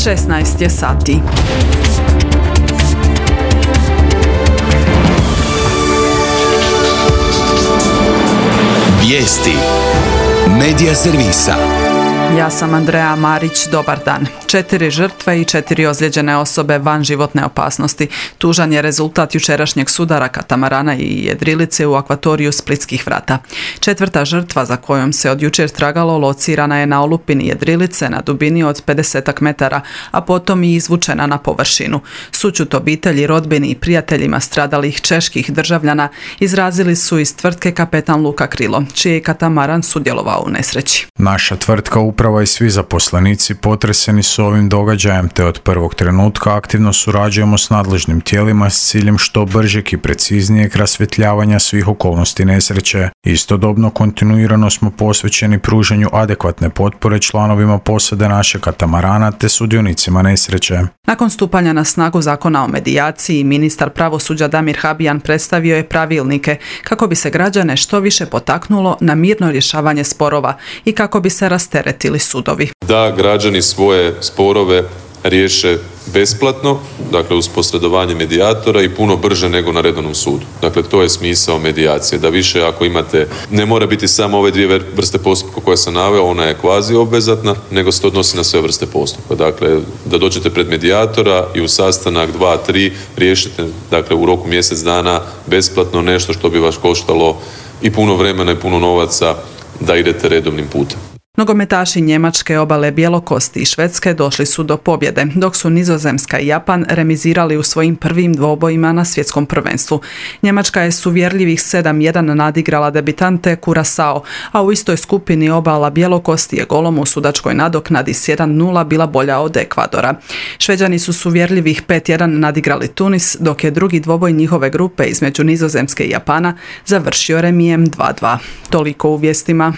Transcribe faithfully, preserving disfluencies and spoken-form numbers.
šesnaest je sati. Vijesti Medija servisa. Ja sam Andreja Marić, dobar dan. Četiri žrtve i četiri ozlijeđene osobe van životne opasnosti. Tužan je rezultat jučerašnjeg sudara katamarana i jedrilice u akvatoriju Splitskih vrata. Četvrta žrtva za kojom se od jučer tragalo locirana je na olupini jedrilice na dubini od pedesetak metara, a potom i izvučena na površinu. Sućut obitelji, rodbini i prijateljima stradalih čeških državljana izrazili su iz tvrtke Kapetan Luka Krilo, čiji je katamaran sudjelovao u nesreći. Naša tvrtka, uprava i svi zaposlenici potreseni su ovim događajem, te od prvog trenutka aktivno surađujemo s nadležnim tijelima s ciljem što bržeg i preciznijeg rasvjetljavanja svih okolnosti nesreće. Istodobno kontinuirano smo posvećeni pružanju adekvatne potpore članovima posade našeg katamarana te sudionicima nesreće. Nakon stupanja na snagu zakona o medijaciji, ministar pravosuđa Damir Habijan predstavio je pravilnike kako bi se građane što više potaknulo na mirno rješavanje sporova i kako bi se rasteretili sudovi. Da građani svoje sporove riješe besplatno, dakle uz posredovanje medijatora i puno brže nego na redovnom sudu. Dakle, to je smisao medijacije, da više ako imate, ne mora biti samo ove dvije vrste postupka koje sam naveo, ona je kvazi obvezatna, nego se to odnosi na sve vrste postupka. Dakle, da dođete pred medijatora i u sastanak dva, tri riješite, dakle, u roku mjesec dana besplatno nešto što bi vas koštalo i puno vremena i puno novaca da idete redovnim putem. Nogometaši Njemačke, Obale Bjelokosti i Švedske došli su do pobjede, dok su Nizozemska i Japan remizirali u svojim prvim dvobojima na svjetskom prvenstvu. Njemačka je s uvjerljivih sedam jedan nadigrala debitante Curaçao, a u istoj skupini Obala Bjelokosti je golom u sudačkoj nadoknadi s jedan nula bila bolja od Ekvadora. Šveđani su s uvjerljivih pet jedan nadigrali Tunis, dok je drugi dvoboj njihove grupe između Nizozemske i Japana završio remijem dva dva. Toliko u vijestima.